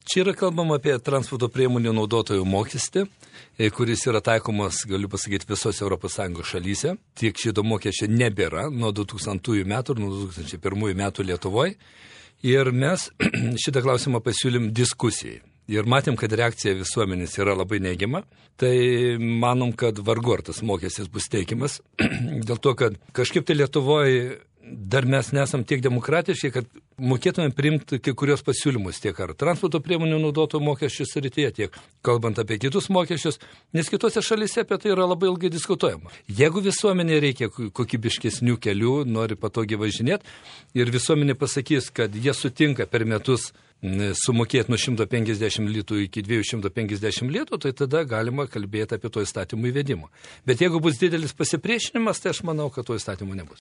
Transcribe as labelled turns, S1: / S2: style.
S1: Čia yra kalbama apie transporto priemonių naudotojų mokestį, kuris yra taikomas, galiu pasakyti, visose ES šalyse. Tiek šito mokesčio nebėra nuo 2000 metų ir nuo 2001 metų Lietuvoje. Ir mes šitą klausimą pasiūlym diskusijai. Ir matėm, kad reakcija visuomenės yra labai neigiama. Tai manom, kad vargu ar tas mokestis bus teikiamas. Dėl to, kad kažkaip tai Lietuvoje dar mes nesam tiek demokratiški, kad mokėtume priimti kai kurios pasiūlymus tiek ar transporto priemonių naudotojų mokesčių srityje, tiek kalbant apie kitus mokesčius, nes kitose šalyse apie tai yra labai ilgai diskutuojama. Jeigu visuomenė reikia kokybiškesnių kelių, nori patogiai važinėti ir visuomenė pasakys, kad jie sutinka per metus sumokėti nuo 150 litų iki 250 litų, tai tada galima kalbėti apie to įstatymų įvedimą. Bet jeigu bus didelis pasipriešinimas, tai aš manau, kad to įstatymų nebus.